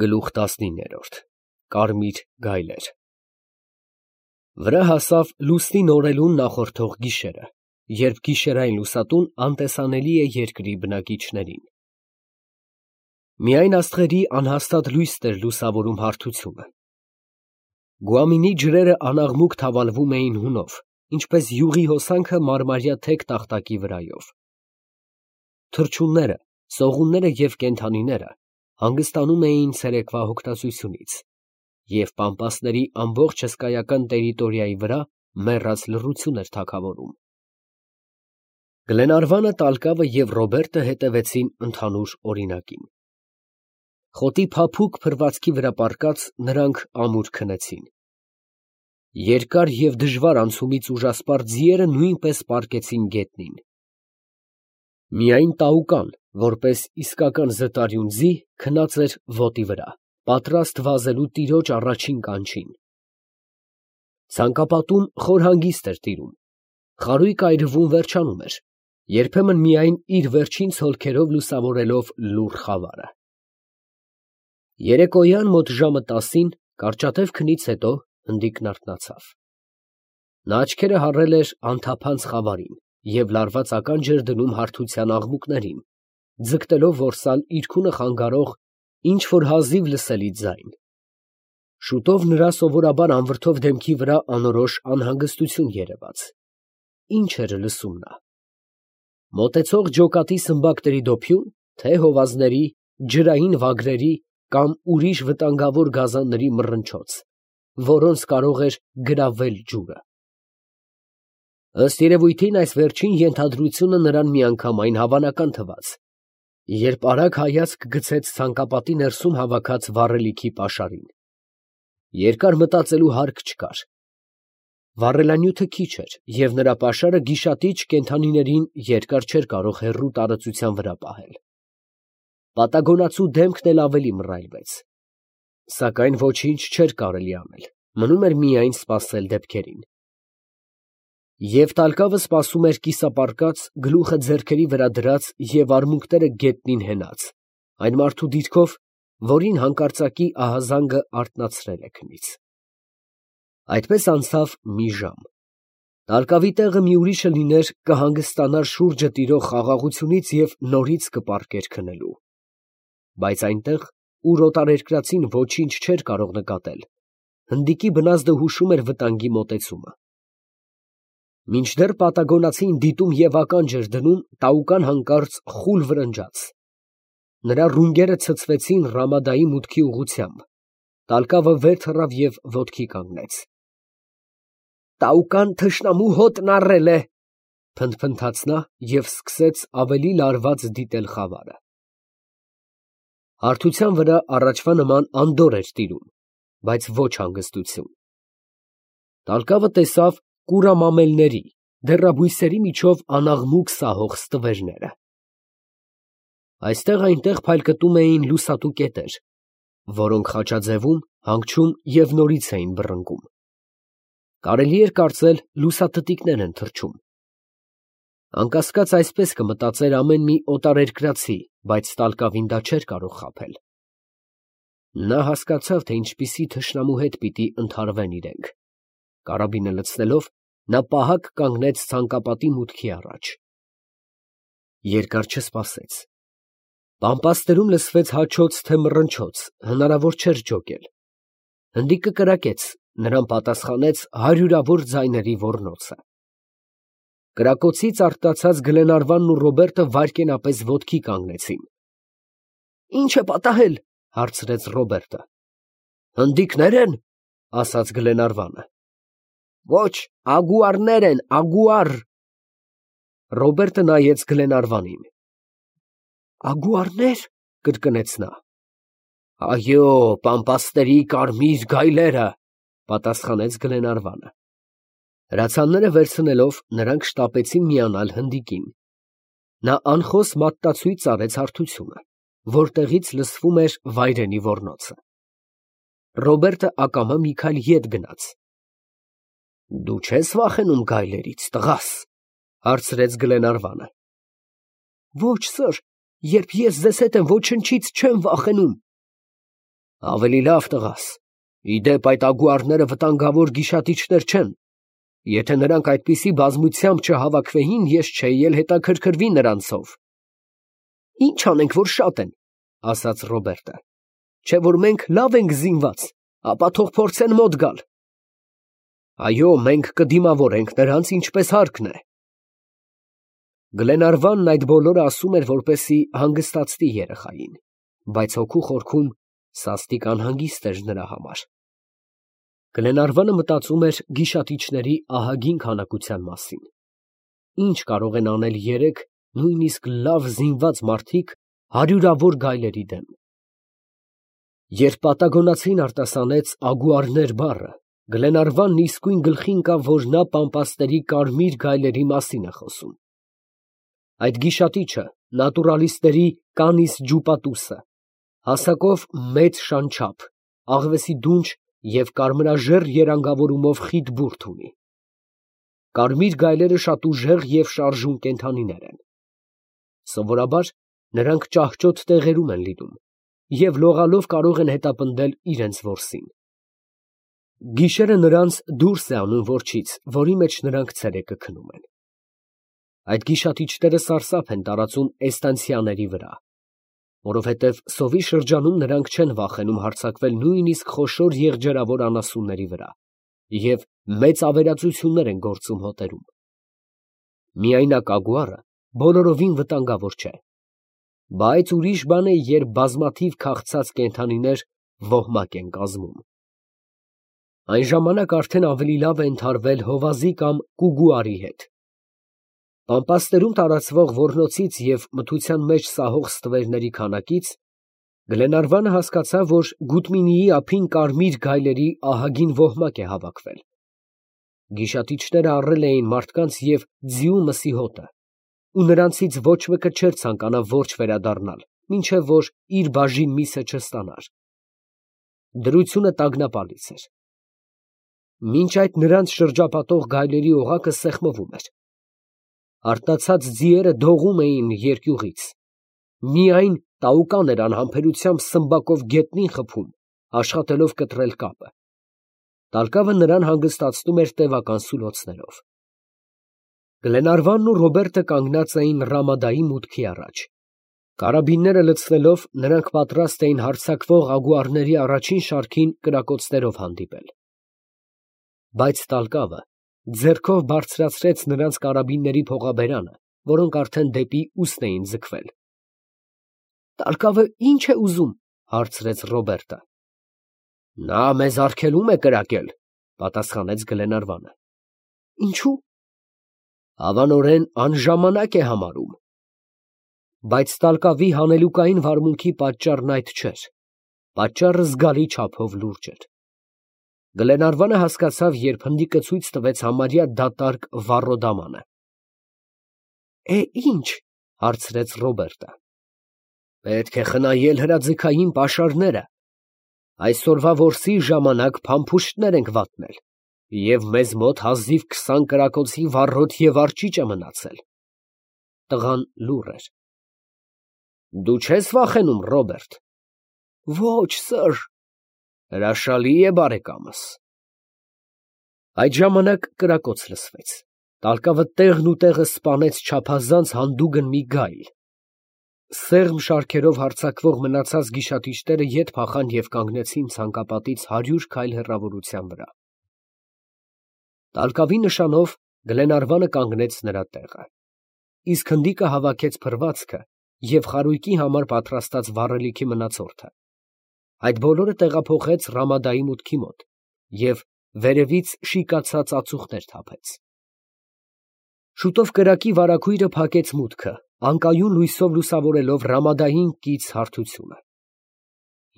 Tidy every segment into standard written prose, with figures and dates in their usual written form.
Գլուխ 19 Կարմիր գայլեր Վրա հասավ լուսնի նորելուն նախորդող գիշերը, երբ գիշերային լուսատուն անտեսանելի է երկրի բնակիչներին։ Միայն աստղերի անհաստատ լույսն էր լուսավորում հարթությունը։ Գուամինի ջրերը անաղմուկ թավալվում էին հունով, ինչպես յուղի հոսանքը մարմարյա թեք տախտակի վրայով։ Թռչունները, սողունները և կենդանիները հանգստանում էին ցերեկվա հոգնածությունից, և պամպասների ամբողջ հսկայական տերիտորիայի վրա մեռած լռություն էր թագավորում։ Գլենարվանը, Տալկավը և Ռոբերտը հետևեցին ընդհանուր օրինակին։ Խոտի փափուկ փռվածքի վրա պառկած նրանք ամուր քնեցին։ Երկար և դժվար անցումից ուժասպառ ձիերը նույնպես պառկեցին գետնին։ Միայն Տաուկան, որպես իսկական զտարյուն ձի, քնած էր ոտի վրա, պատրաստ վազելու տիրոջ առաջին կանչին։ Ցանկապատում խոր հանգիստ էր տիրում, խարույկ այրվում վերջանում էր, երբեմն միայն իր վերջին ցոլքերով լուսավորելով լուռ խավարը։ Երեկոյան մոտ ժամը 10-ին կարճատև քնից հետո հնդիկն արթնացավ։ Նա աչքերը հառել էր անթափանց խավարին և լարված ականջ էր դնում հարթության աղմուկներին, ձգտելով որսալ իրքունը խանգարող ինչ֊որ հազիվ լսելի ձայն։ Շուտով նրա սովորաբար անվրդով դեմքի վրա անորոշ անհանգստություն երևաց։ Ինչ էր լսում նա։ Մոտեցող ջոկատի սմբակների դոփյուն, թե հովազների, ջրային վագրերի կամ ուրիշ վտանգավոր գազանների մռնչոց, որոնց կարող էր գրավել ջուրը։ Ըստ երևույթին, այս վերջին ենթադրությունը նրան միանգամայն հավանական թվաց, երբ արագ հայացք գցեց ցանկապատի ներսում հավաքած վառելիքի պաշարին։ Երկար մտածելու հարկ չկար։ Վառելանյութը քիչ էր, և նրա պաշարը գիշատիչ կենդանիներին երկար չէր կարող հեռու տարածության վրա պահել։ Պատագոնացու դեմքն էլ ավելի մռայլվեց։ Սակայն ոչինչ չէր կարելի անել, մնում էր միայն սպասել դեպքերին։ Եվ Տալկավը սպասում էր կիսապառկած, գլուխը ձեռքերի վրա դրած և արմունկները գետնին հենած, այն մարդու դիրքով, որին հանկարծակի ահազանգը արթնացրել է քնից։ Այդպես անցավ մի ժամ։ Տալկավի տեղը մի ուրիշը լիներ, կհանգստանար շուրջը տիրող խաղաղությունից և նորից կպառկեր քնելու։ Բայց այնտեղ, ուր օտարերկրացին ոչինչ չէր կարող նկատել, հնդիկի բնազդը հուշում էր վտանգի մոտեցումը։ Մինչդեռ պատագոնացին դիտում և ականջ էր դնում, Տաուկան հանկարծ խուլ վրնջաց։ Նրա ռունգերը ցցվեցին Ռամադայի մուտքի ուղղությամբ։ Տալկավը վեր թռավ և ոտքի կանգնեց։ «Տաուկան թշնամու հոտն առել է», փնթփնթաց նա և սկսեց ավելի լարված դիտել խավարը։ Հարթության վրա առաջվա նման անդորր էր տիրում, բայց ոչ հանգստություն։ Տալկավը տեսավ կուրամամելների, դեռաբույսերի միջով անաղմուկ սահող ստվերները։ Այստեղ֊այնտեղ փայլկտում էին լուսատու կետեր, որոնք խաչաձևում, հանգչում և նորից էին բռնկում։ Կարելի էր կարծել լուսատտիկներ են թռչում։ Անկասկած այսպես կմտածեր ամեն մի օտարերկրացի, բայց Տալկավին դա չէր կարող խաբել։ Նա հասկացավ, թե ինչպիսի թշնամու հետ պիտի ընդհարվեն իրենք։ Կարաբինը լցնելով, նա պահակ կանգնեց ցանկապատի մուտքի առաջ։ Երկար չսպասեց։ Պամպասներում լսվեց հաչոց, թե մռնչոց, հնարավոր չէր ջոկել։ Հնդիկը կրակեց, նրան պատասխանեց հարյուրավոր ձայների ոռնոցը։ Կրակոցից արթնացած Գլենարվանն ու Ռոբերտը վայրկենապես ոտքի կանգնեցին։ «Ի՞նչ է պատահել», հարցրեց Ռոբերտը։ «Հնդիկնե՞ր են», ասաց Գլենարվանը։ «Ոչ, ագուարներ են, ագուար»։ Ռոբերտը նայեց Գլենարվանին։ «Ագուարնե՞ր», կրկնեց նա։ «Այո, պամպասների կարմիր գայլերը», պատասխանեց Գլենարվանը։ Հրացանները վերցնելով, նրանք շտապեցին միանալ հնդիկին։ Նա անխոս մատնացույց արեց հարթությունը, որտեղից լսվում էր վայրենի ոռնոցը։ Ռոբերտը ակամա մի քայլ ետ գնաց։ «Դու չե՞ս վախենում գայլերից, տղաս», հարցրեց Գլենարվանը։ «Ոչ, սըր, երբ ես ձեզ հետ եմ, ոչնչից չեմ վախենում»։ Ավելի լավ տղաս, իդեպ այդ ագուարները վտանգավոր գիշատիչներ չեն. եթե նրանք այդպիսի բազմությամբ չհավաքվեին, ես չէի էլ հետաքրքրվի նրանցով։ Ինչ անենք, որ շատ են, ասաց Ռոբերտը, չէ որ մենք լավ ենք զինված, ապա թող փորձեն մոտ գալ։ Այո, մենք կդիմավորենք նրանց ինչպես հարկն է։ Գլենարվանն այդ բոլորը ասում էր, որպեսզի հանգստացնի երեխային, բայց հոգու խորքում սաստիկ անհանգիստ էր նրա համար։ Գլենարվանը մտածում էր գիշատիչների ահագին քանակության մասին։ Ինչ կարող են անել երեք նույնիսկ լավ զինված մարդիկ հարյուրավոր գայլերի դեմ։ Երբ պատագոնացին արտասանեց ագուարներ բառը, Գլենարվանն իսկույն գլխի ընկավ, որ նա պամպասների կարմիր գայլերի մասին է խոսում։ Այդ գիշատիչը նատուրալիստների կանիս ջուպատուսը, հասակով մեծ շանչափ, աղվեսի դունչ և կարմրաժեռ երանգավորումով խիտ բուրդ ունի։ Կարմիր գայլերը շատ ուժեղ և շարժուն կենդանիներ են։ Սովորաբար նրանք ճահճոտ տեղերում են լինում և լողալով կարող են հետապնդել իրենց որսին։ Գիշերը նրանց դուրս է անում որջից, որի մեջ նրանք ցերեկը քնում են։ Այդ գիշատիչները սարսափ են տարածում էստանցիաների վրա, որովհետև սովի շրջանում նրանք չեն վախենում հարձակվել նույնիսկ խոշոր եղջերավոր անասունների վրա և մեծ ավերածություններ են գործում հոտերում։ Միայնակ ագուարը բոլորովին վտանգավոր չէ, բայց ուրիշ բան է, երբ բազմաթիվ քաղցած կենդանիներ ոհմակ են կազմում։ Այն ժամանակ արդեն ավելի լավ է ընդհարվել հովազի կամ կուգուարի հետ։ Պամպասներում տարածվող ոռնոցից և մթության մեջ սահող ստվերների քանակից Գլենարվանը հասկացավ, որ Գուտմինիի ափին կարմիր գայլերի ահագին ոհմակ է հավաքվել։ Գիշատիչները առել էին մարդկանց և ձիու մսի հոտը, ու նրանցից ոչ մեկը չէր ցանկանա որջ վերադառնալ, մինչև որ իր բաժին միսը չստանար։ Դրությունը տագնապալից էր։ Մինչ այդ նրանց շրջապատող գայլերի օղակը սեղմվում էր։ Արթնացած ձիերը դողում էին երկյուղից։ Միայն Տաուկան էր անհամբերությամբ սմբակով գետնին խփում, աշխատելով կտրել կապը։ Տալկավը նրան հանգստացնում էր տևական սուլոցներով։ Գլենարվանն ու Ռոբերտը կանգնած էին Ռամադայի մուտքի առաջ։ Կարաբինները լցնելով, նրանք պատրաստ էին հարձակվող ագուարների առաջին շարքին կրակոցներով հանդիպել։ Բայց Տալկավը ձեռքով բարձրացրեց նրանց կարաբինների փողաբերանը, որոնք արդեն դեպի ուսն էին ձգվել։ Տալկավը ի՞նչ է ուզում, հարցրեց Ռոբերտը։ Նա մեզ արգելում է կրակել, պատասխանեց Գլենարվանը։ Ինչու՞։ Հավանորեն անժամանակ է համարում։ Բայց Տալկավի հանելուկային վարմունքի պատճառն այդ չէր։ Պատճառը զգալի չափով լուրջ էր։ Գլենարվանը հասկացավ, երբ հնդիկը ցույց տվեց համարյա դատարկ վառոդամանը։ Ինչ, հարցրեց Ռոբերտը։ Պետք է խնայել հրաձգային պաշարները։ Այսօրվա որսի ժամանակ փամփուշտներ ենք վատնել, և մեզ մոտ հազիվ 20 կրակոցի վառոդ և արճիճ է մնացել։ Տղան լուռ էր։ Դու չես վախենում, Ռոբերտ։ Ոչ, սըր։ Հրաշալի է, բարեկամս։ Այդ ժամանակ կրակոց լսվեց։ Տալկավը տեղն ու տեղը սպանեց չափազանց հանդուգն մի գայլ։ Սեղմ շարքերով հարձակվող մնացած գիշատիչները ետ փախան և կանգնեցին ցանկապատից 100 քայլ հեռավորության վրա։ Տալկավի նշանով Գլենարվանը կանգնեց նրա տեղը, իսկ հնդիկը հավաքեց փռվածքը և խարույկի համար պատրաստած վառելիքի մնացորդը։ Այդ բոլորը տեղափոխեց Ռամադայի մուտքի մոտ և վերևից շիկացած ածուխներ թափեց։ Շուտով կրակի վարագույրը փակեց մուտքը, անկայուն լույսով լուսավորելով Ռամադային կից հարթությունը։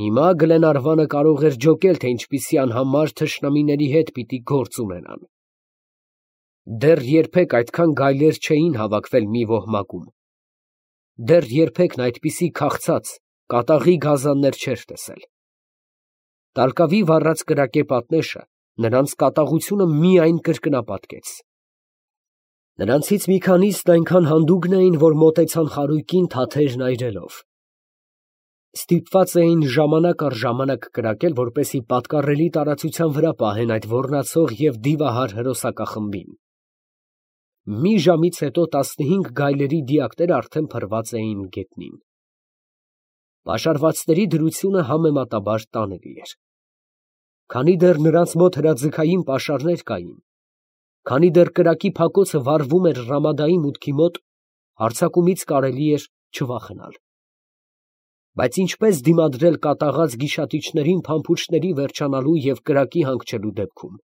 Հիմա Գլենարվանը կարող էր ջոկել, թե ինչպիսի անհամար թշնամիների հետ պիտի գործ ունենան։ Դեռ երբեք այդքան գայլեր չէին հավաքվել մի ոհմակում։ Դեռ երբեք նա այդպիսի քաղցած, կատաղի գազաններ չէր տեսել։ Տալկավի վառած կրակե պատնեշը նրանց կատաղությունը միայն կրկնապատկեց։ Նրանցից մի քանիսն այնքան հանդուգն էին, որ մոտեցան խարույկին թաթերն այրելով։ Ստիպված էին ժամանակ առ ժամանակ կրակել, որպեսզի պատկառելի տարածության վրա պահեն այդ ոռնացող և դիվահար հրոսակախմբին։ Մի ժամից հետո 15 գայլերի դիակները արդեն փռված էին գետնին։ Պաշարվածների դրությունը համեմատաբար տանելի էր։ Քանի դեռ նրանց մոտ հրաձգային պաշարներ կային, քանի դեռ կրակի փակոցը վառվում էր Ռամադայի մուտքի մոտ, հարձակումից կարելի էր չվախենալ։ Բայց ինչպես դիմադրել կատաղած գիշատիչներին փամփուշտների վերջանալու և կրակի հանգչելու դեպքում։